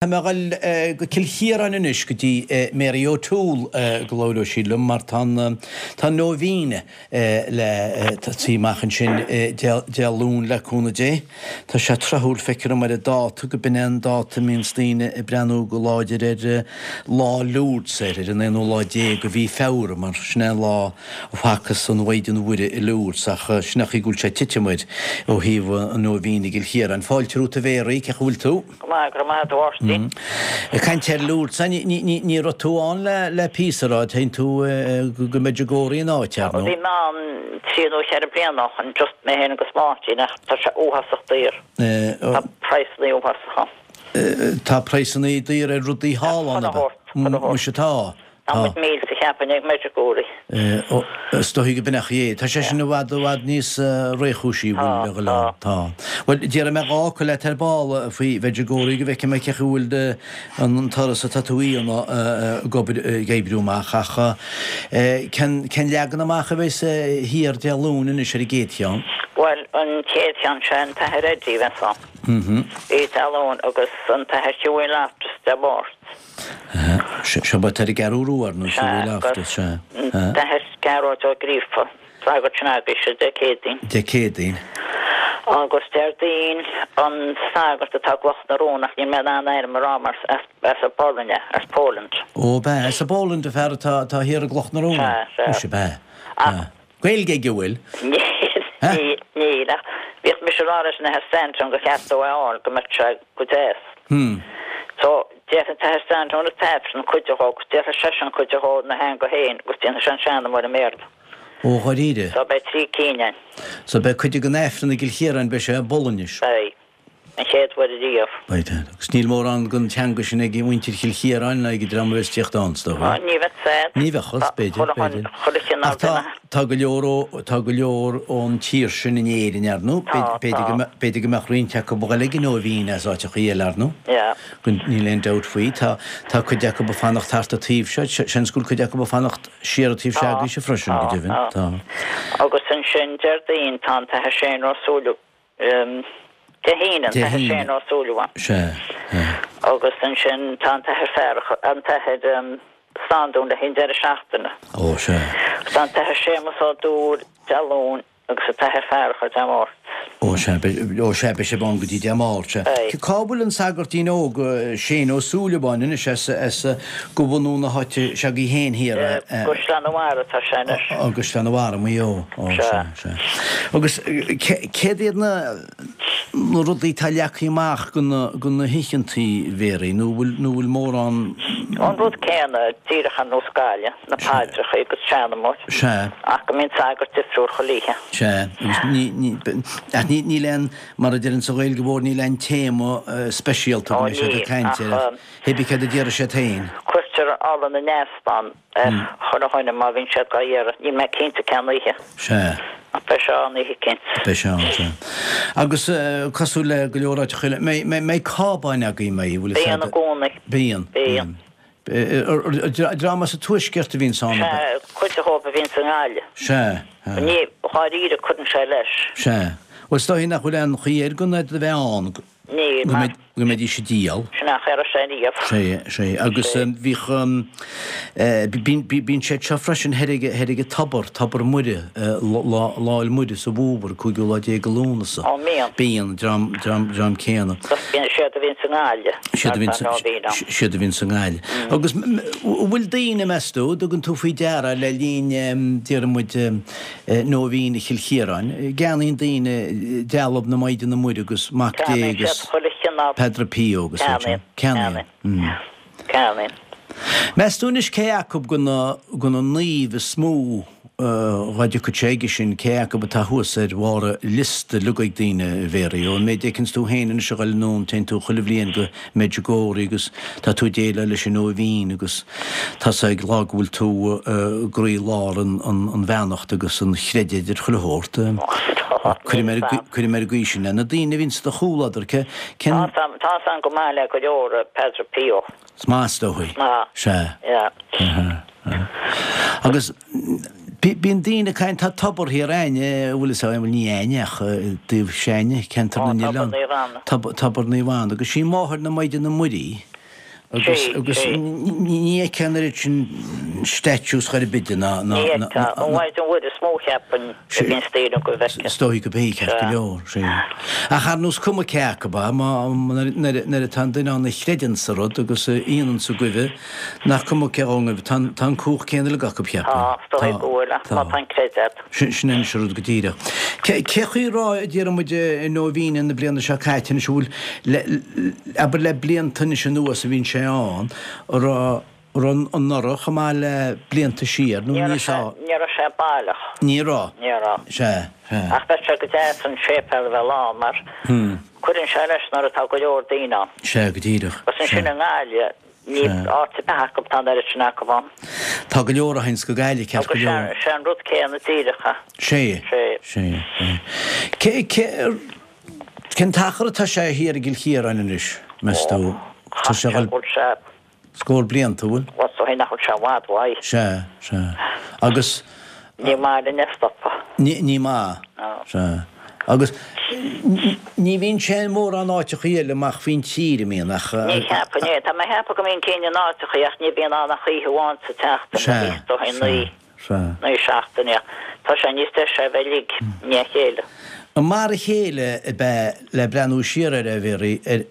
Tá mé ag dul go Cill Chiaráin anois go dtí Mary O'Toole go labhróidh sí liom mar tá an tá an Nóibhíne le tosaí amach ansin Dé Luain le cúnamh Dé. Tá sé tráthúil feictear dom ar an dáta go b'in é an dáta a mbíonns daoine ag breathnú go láidir ar Lá Lourdes ar ar an aonú lá déag de mhí Feabhra mar sin é an lá a facthas an Mhaighdean Mhuire i Lourdes ach sin é an chaoi go bhfuil sé ag titim air ó thaobh an Nóibhíne i gCill Chiaráin. Fáilte romhat a Mhéaraí, cén chaoi a bhfuil tú? Go maith, go raibh maith agat a Mháirtín. Ag caint ar Lourdes, ní raibh tú ann le píosa, raibh? Téann tú go Medjugorje an áit, ar ndóigh. Bhí mé ann trí nó cheithre bliana ó shin, just mé féin agus Máirtín, ach tá sé uafásach daor. Tá praghsanna uafásach ann. Tá praghsanna daor ar rudaí thall ann, ab ea? Muise tá. Tá muid millte cheapfainn ag Medjugorje. Ó, is dóichí go b'in é an chaoi é. Tá sé sin i bhfad, i bhfad níos réchúisí, bhfuil, a dhul ann. Tá. Bhuel, déarfaidh mé dhá fhocal leat ar ball faoi Mhedjugorje go bhfeicfidh mé cén chaoi a bhfuil an turas atá tú a dhéanamh ag obair, ag oibriú amach. Ach cén, cén leagan amach a bheas thiar Dé Luain anois ar an gcéad cheann? Bhuel, an chéad cheann sé an tAthair Eddie a bheas ann. Dé Luain agus an tAthair Hughie Loftus Dé Máirt. Seo ba ar an gCeathrú Rua ar ndóigh, Sea, agus an tAthair Gearóid Ó Gríofa, sagart sin agaibhse, Dé Céadaoin. Dé Céadaoin. Agus Déardaoin, an sagart atá i gCloch na Rón, ach níl mé in ann a ainm a rá mar as an bPolainn é, as Poland. Ó, b'ea, as an bPolainn an fear atá thiar i gCloch na Rón? Sea, sea. Muise, b'ea. Ach. Gaeilge aige, an bhfuil? Níl, níl, ach bhíodh mise ag rá leis an Athair Stanton gur cheart dó é a fháil, go mbeadh sé go deas. So, déarfaidh an tAthair Stanton an tAifreann cuid de agus déarfaidh seisean cuid de ina theanga féin agus déanfaidh sé an seanmóir i mBéarla. Ó, dháiríre? So, beidh trí cinn ann. So, beidh cuid den Aifreann i gCill Chiaráin, beidh sé i bPolainnis? Beidh. An chéad uair ariamh. Beidh. Agus níl mórán den teanga sin ag muintir Chill Chiaráin ná ag an dream a bheas ag tíocht ann, is dócha. Ní bheadh said. Ní bheadh, b'fhéidir, b'fhéidir. Ach tá, tá go leor ó, tá go leor ón tír sin in Éirinn, ar ndóigh. Tá, B'fhéidir go mbeadh, b'fhéidir go mbeadh roinnt acu a dhul ag an Nóibhín as áiteachaí eile, ar ndóigh. Yeah. Níl aon dabht faoi. Tá, tá cuid acu ag fanacht thart an taobh seo. Seans go bhfuil cuid acu ag fanacht siar an taobh seo agaibhse freisin, go deimhin. Tá. Agus ansin Déardaoin tá an tAthair Shane Ó Súilleabháin. Dé hAoine, an tAthair Shane Ó Súilleabháin. Sea, sea. Agus ansin tá an tAthair Fearghas, an tAthair Standún le haghaidh an deireadh seachtaine. Ó, sea. Agus tá an tAthair Séamus Ó Dúill Dé Luain agus an tAthair Fearghas Dé Máirt. Ó, sea, ó, sea, beidh sibh ann go dtí Dé Máirt, sea. Beidh. Cá bhfuil an sagartín óg Shane Ó Súilleabháin anois as, as go bhunú na háite s'agaibh féin thiar? I gCaisleán an Bharraigh atá sé anois. Ó, i gCaisleán an Bharraigh, Maigh Eo. Ó, sea, sea. Agus céard iad na rudaí atá leagtha amach do na hoícheantaí, Mhéaraí, nó bhfuil, nó bhfuil mórán. An rud céanna, díreach ar nós Gaillimh, na paidreacha agus seanmóir. Sea. Ach go mbíonn sagart difriúil chuile oíche. Sea, agus ní, ní, ach ní, níl aon, mar a deireann sa Ghaeilge Mhór, níl aon téama speisialta go Ó mbeidh siad níl, ag caint ach air, ach hé bí céard a déarfaidh siad féin. Cuirtear ola na n-easbán ar chuile dhuine má bhíonn siad dhá iarraidh. Níl mé cinnte cén oíche. Sea. Ach beidh sé ann oíche eicínt. Beidh sé ann, sea. Agus cosúil le go leor áiteacha eile, mbeidh cábáin agaibh, mbeidh, bhfuil fhios agat? Bíonn i gcónaí. Bíonn. Bíonn. Dream as an tuaisceart a bhíonns ann, ab ea? Sea, cuid dhóibh a bhíonns i nGaillimh. Sea. Ní, dháiríre, cuireann sé leis. Sea. Bhuel, is dóichí nach bhfuil aon chaoi air gan iad a bheith ann. Níl, mar. Go mbeidís ag díol. Sin nach raibh sé riamh. Sea, sea. Agus bhíodh, bíonn siad seo freisin thoir ag, thoir ag an tobar, Tobar Muire, Lá Fhéile Muire sa bhfómhar, cúigiú lá déag de Lúnasa. Ó, mbíonn. Bíonn, dream, dream, dream céanna. Bíonn siad a bhíonn sa nGaillimh. Siad a bhíonn sa, siad a bhíonn sa nGaillimh. Agus bhfuil daoine, meas tú, dtugann tú faoi deara le linn, déarfaidh muid, Nóibhín Chill Chiaráin. Ceannaíonn daoine dealbh na Maighdine Muire agus Mac Dé agus Padre Pio agus iad sin. Ceannaíonn. Ceannaíonn. Meas tú anois cé acu de na naoimh is mó dhá dtiocfadh sé aige sin, cé acu atá thuas ar bharr liosta uilig ag daoine, a Mhéaraí? Ón méid a fheiceanns tú féin anois a ghoil anonn, téann tú chuile bhliain go Medjugorje agus tá tú ag déileáil leis an Nóibhín agus tá's ag lá go bhfuil tú i gcroí-lár an bheannacht agus an chreidimh ar chuile shórt. Cuirim ar an gcaoi sin é. Na daoine a bhíonn sa do chomhluadar, cén. Tá's agam go maith le go leor Padre Pio. Is maith is dóichí. Maith. Sea. Yeah. Agus bíonn daoine ag caint, tá tobar thiar a'inne, bhfuil fhios a'm, bhuel ní a'inne ach i dtaobh s'a'inne, ceantar na Ó, nOileán. Tobar Naomh Anna. Tobar Naomh Anna. Agus sí máthair na Maighdine Muirí. Agus, agus ní fheicfeá an oiread sin statues chor ar bith de ná, ná, Ní fheicfeá. An Mhaighdean Mhuire is mó cheapfainn a bhíonn ag daoine go bhfeicfeá. Is dóigh go b'é ceart go leor, sea. Ach ar nós cuma cé acu ba, má, nuair, nuair atá an duine ann a chreideann sa rud agus a fhianann sa gcuimhe, nach cuma cé dhó ngaibh, tá an, tá an cumhacht céanna uilig acu, cheapfainn. Tá, is dóigh go bhfuil, ach má tá an creideamh agat. Sin, sin anois an rud go díreach. Cé, cé chaoi a raibh, a déarfaidh muid, i Nóibhíne na bliana seo caite anois, an bhfuil, le, abair le blianta anois anuas a bhíonn sé ann, an raibh, an raibh anuraidh chomh maith le blianta siar nó Ní raibh níos sé, ní raibh sé baileach. Ní raibh. Ní raibh. Sea, sea. Ach bheadh sé go deas an séipéal a bheith lán mar cuireann sé leis nuair atá go leor daoine ann. Sea, go díreach. Agus ansin i nGaillimh, Níl áit ar bith acu, tá an oiread sin acu ann. Tá go leor a théanns go Gaillimh, ceart go leor. Agus sé an rud céanna díreach é. Sé. Sé. Sé. Cé, cé, cén t-achar atá sé thiar i gCill Chiaráin anois, meas tú? Tá sé dhul. Bhfuil sé. Scór blianta, bhfuil? Bhuel, is dóigh nach bhfuil sé i bhfad uaidh. Sea, sea. Agus. Ní maith linn é a stopadh. Ní maith. Sea. Agus ní bhíonn sé in mórán áiteachaí eile amach faoin tír, an mbíonn, ach. Ní cheapaim é. Tá mé ag ceapadh go mbíonn cinn in áiteachaí ach ní bhíonn ann ach oíche amháin sa tseachtain Sea. is dóigh Sea. Sea. naoi seachtaine. Tá sé níos deise a bheith uilig i ndiaidh a chéile. An mar a chéile ab ea le breathnú siar air, a Mhéaraí, ar,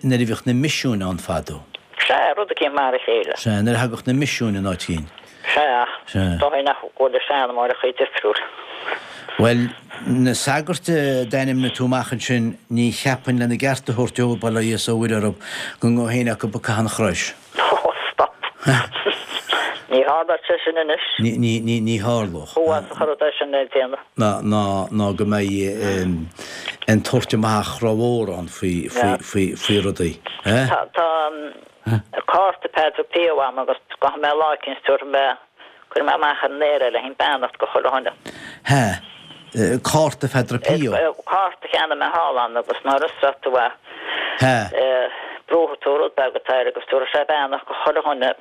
nuair a bhíodh na misiúin ann fadó? Sea, rud eicínt mar a chéile. Sea, nuair a thagadh na misiúin in áit éigin. Sea, dóigh nach bhfuil a seanmóireachaí difriúil. Bhuel, na sagairt a d'ainmnigh tú amach ansin, ní cheapfainn lena gceart a thabhairt dóibh, bail ó Dhia 's ó Mhuire orthu, go ngabhadh éinne acu ag caitheamh an chrois. Ó, stop. Ní tharlódh sé sin anois. Ní, ní, ní, ní tharlódh. Thuas a chuirfeadh é sin le déanamh. Ná, ná, ná go mbeidh an tabhairt amach rómhór ann faoi, faoi, faoi, faoi rudaí. Eh? Tá, tá. Cárta Padre Pio a'm agus gabhfaidh mé lá eicínt tabharfaidh mé, cuirfidh mé amach ar an aer é le haghaidh beannacht go chuile dhuine. Hea, cárta Phadre Pio. Cárta a cheannaigh mé thall ann agus nuair a osclóidh tú é, Hea. brúfaidh tú rud beag atá air agus tabharfaidh sé beannacht go chuile dhuine.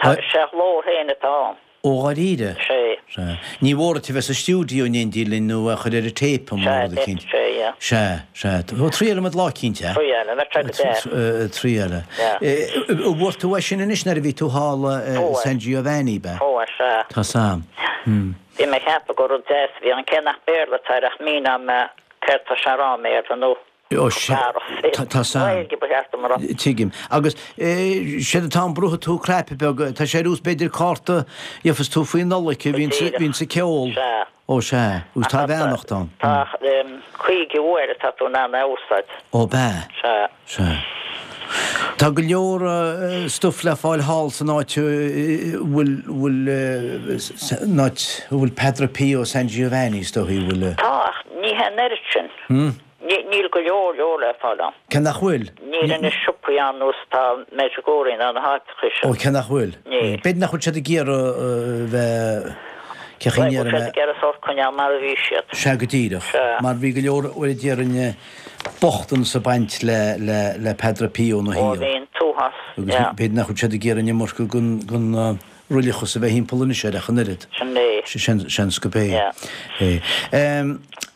Tá, sé a ghlór féin atá ann. Ó dháiríre? Sé. Sea. Ní mhór duit a bheith sa stiúideo in éindí linn nó a chur ar an téip nó Sea, rud eicínt. sé, yeah. Sea, sea. Ó, triailfimid lá eicínt, eh? Triail, bheadh sé go deas. Triail. Yeah. An bhfuair tú é sin anois nuair a bhí tú thall i Fuair. San Giovanni, b'ea? Fuair, sea. Tá 's a'm. Hmm. Bhí mé ag ceapadh gur rud deas a bhí ann, cé nach Béarla atá air ach míneoidh mé céard tá sé a rá i mBéarla nó Ó, sea. Tá 's a'm. Gaeilge ba cheart dom a rá. Tuigim. Agus séard atá ann, brúfaidh tú cnaipe beag, tá sé ar nós b'fhéidir cárta a gheofas tú faoi Nollaig a bhíonn sa ceol. Sea. Ó, sea. Agus tá a bheannacht ann. Tá 50 uair atá tú in ann é a úsáid. Ó, b'ea? Sea. Sea. Tá go leor stuif le fáil thall san áit a bhfuil, bhfuil, san áit a bhfuil Padre Pio San Giovanni, is dóichí, bhfuil. Tá, ach ní hé an oiread sin. Níl go leor leor le fáil ann. Cé nach bhfuil? Níl na siopaí ar nós atá Medjugorje ná na háiteacha sin. Ó, cé nach bhfuil? Níl. B'fhéidir nach bhfuil siad ag iarraidh bheith, cé chaoi Bhuel, ndéarfaidh siad mé. ag iarraidh sórt coinneáil mar a bhí siad. Sea, go díreach. Sea. Mar bhí go leor, bhuel, déarfainn, bochtanas ag baint le, le, le Padre Pio ina Ó, shaol. bhí an t-uafás, Agus yeah. b'fhéidir nach bhfuil siad ag iarraidh an iomarca den, den, roilleachas a bheith thimpeall anois air ach an oiread. Sin é. Seans gurb é. Yeah. É.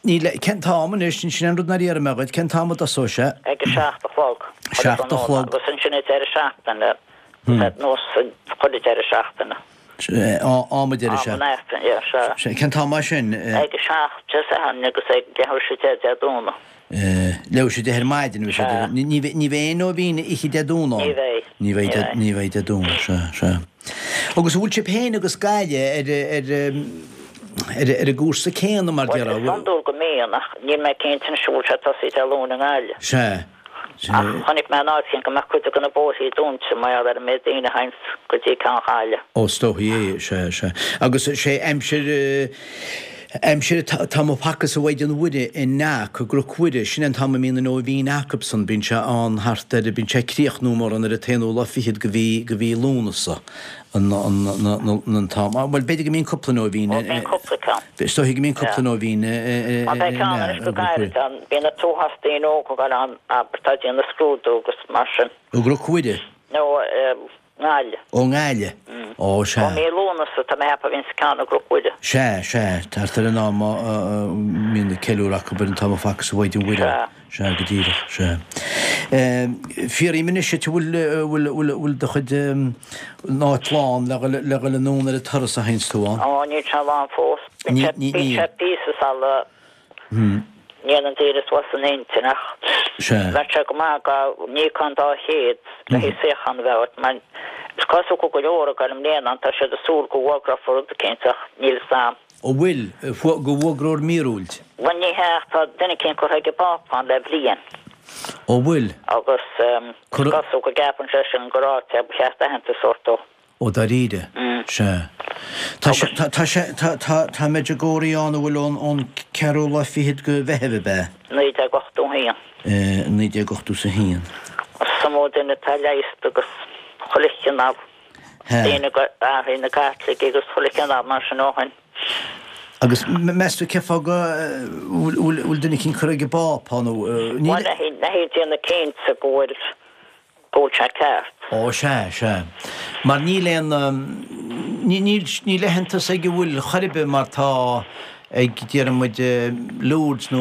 Níl, cén t-am anois, sin an rud nár iarr mé dhuit, cén t-am a dtosóidh sé? Ag a 7 a chlog. 7 a chlog. Agus ansin ag deireadh seachtaine, nós chuile deireadh seachtaine. Am an deireadh seachtaine. Am an Aifrinn, yeah, sea. Cén t-am é sin? Ag a 7 Dé Sathairn agus ag leathuair tar éis a 10 Dé Domhnaigh. Leathuair tar éis a 10 ar maidin, bhí sé. Sea. Ní bheidh, ní bheidh aon nóibhín oíche Dé Domhnaigh ann? Ní bheidh. Ní bheidh, ní bheidh Dé Domhnaigh, sea, sea. Agus an bhfuil sibh féin agus Gaillimh ar, ar, ar, ar an gcúrsa céanna mar Bhuel, déarfá? is iondúil go mbíonn, ach níl mé cinnte anois an bhfuil sé tosaithe Dé Luain i nGaillimh. Sea. Ach chonaic mé in áit éigin go mbeadh cuid de na bóithrí dúnta mar gheall ar an méid daoine a théanns go dtí ceann Ghaillimh. Ó, is dóichí é, sea, sea. Agus sé aimsir, aimsir an t-am a facthas an Mhaighdean Mhuire in Knock, i gCnoc Mhuire, sin é an t-am a mbíonn an nóibhín acubsan, bíonn sé ann thart ar, bíonn sé ag críochnú mórán ar an t-aonú lá fichead de mhí, de mhí Lúnasa, an, an, an t-am, bhuel b'fhéidir go mbíonn cúpla nóibhín, Ó, bíonn cúpla ceann. Is dóichí go mbíonn cúpla nóibhín i, i, Má beidh ceann anois go gairid ann, bíonn an t-uafás daoine óga ag dul ann, abair, atá ag déanamh scrúdú agus mar sin. I gCnoc Mhuire? No. nGaillimh. Ó nGaillimh? Ó, sea. Ó mí Lúnasa, tá mé a cheapadh, a bhíonns ceann i gCnoc Mhuire. Sea, sea, thart ar an am a mbíonn na ceiliúradh acu ar an t-am a facthas an Mhaighdean Mhuire. Sea. Sea, go díreach, sea. Fiafraím anois díot, bhfuil, bhfuil, bhfuil, bhfuil do chuid, an áit lán le dhul, le dhul anonn ar an turas a théanns tú ann? Ó, níl sé lán fós. Ní, ní, níl. Bíonn sé píosa sula ndéanann daoine suas a n-intinn ach bheadh sé go maith dá n-íocfá an 200 le haghaidh suíochán a bheith agat mar is cosúil go bhfuil go leor ag dul i mbliana ann, tá siad ag súil go bhfógrófar rud eicínt ach níl fhios a'm. An bhfuil? Go bhfógrófar míorúilt? Bhuel ní hea ach tá duine eicínt curtha ag an bPápa ann le bliain. Ó bhfuil? Agus is cosúil go gceapann seisean gur áit é ba cheart aitheantas a thabhairt dó. Ó dáiríre? Sea. Tá sé, tá, tá sé, tá, tá, tá Medjugorje ann a bhfuil ón, ón ceathrú lá fichead go Mheitheamh, ab ea? 1981. 1981. Is iomaí duine atá leigheasta agus chuile chineál daoine go athraigh na Caitlicigh agus chuile chineál mar sin ó shin. Agus meas tú cén fáth go bhfuil, bhfuil duine eicínt curtha ag an bPápa nó níl. Bhuel, le haghaidh déanamh cinnte go bhfuil go bhfuil sé ceart. Ó, sea, sea. Mar níl aon, níl, níl aitheantas ag an bhfuil chor ar bith mar tá ag, déarfaidh muid, Lourdes nó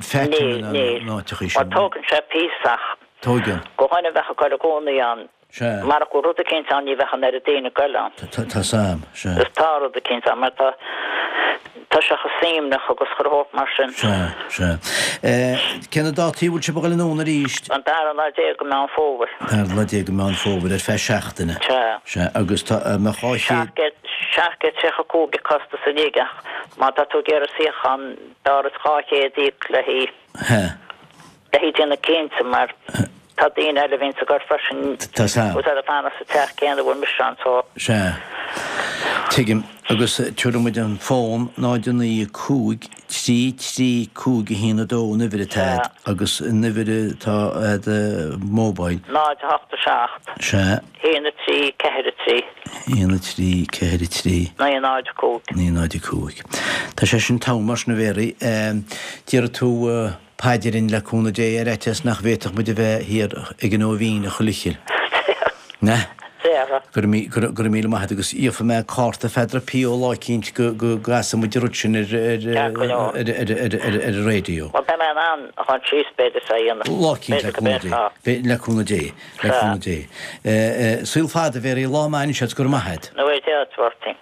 Fatima nó na háiteachaí sin. Níl, níl. Mar tógann sé píosa ach. Tógann. Do dhuine a bheadh ag dul i gcónaí ann. Sea. Marach go bhfuil rud eicínt ann ní bheadh an oiread daoine ag dul ann. Tá, tá's a'm, sea. Is tá rud eicínt ann mar tá, tá sé chomh suaimhneach agus chuile shórt mar sin. Sea, sea. Cé na dátaí a bhfuil sibh ag dul anonn arís? An dara lá déag de Meán Fómhair. Dara lá déag de Meán Fómhair, ar feadh seachtaine. Sea. Sea, agus tá, mbeadh 200. 735 an costas uilig ach má tá tú ag iarraidh suíochán b'fhearr duit 200 a íoc le haghaidh. Sea. Le haghaidh déanamh cinnte mar tá daoine eile a bhíonns ag dul freisin Tá's a'm. agus iad ag fanacht sa teach céanna a bhfuil mise ann so. Sea. Tuigim. Agus tabharfaidh muid an fón 0 9 5 3 3 5 1 2 an uimhir atá a'd agus an uimhir atá a'd mobile. 0 8 7. Sea. 1 3 4 3. 1 3 4 3. 9 0 5. 9 0 5. Tá sé sin togha mar sin a Mhéaraí. Déarfaidh tú. Paidrín le cúnamh Dé ar fhaitíos nach bhféadfadh muid a bheith thiar ag an Nóibhín a chuile chill. Déarfaidh. Go raibh míle maith a't agus gheobhaidh mé cárta Pheadar P ó lá eicínt go gcasfaidh muid an rud sin ar an raidió. Bhuel beidh mé in ann a dhul síos b'fhéidir is é a dhéanamh. Lá eicínt le cúnamh Dé. Le cúnamh Dé. Le cúnamh Dé. Saol fada a Mhéaraí, lá maith anois a't, go raibh maith a't. Nó é Dé duit, a Mháirtín.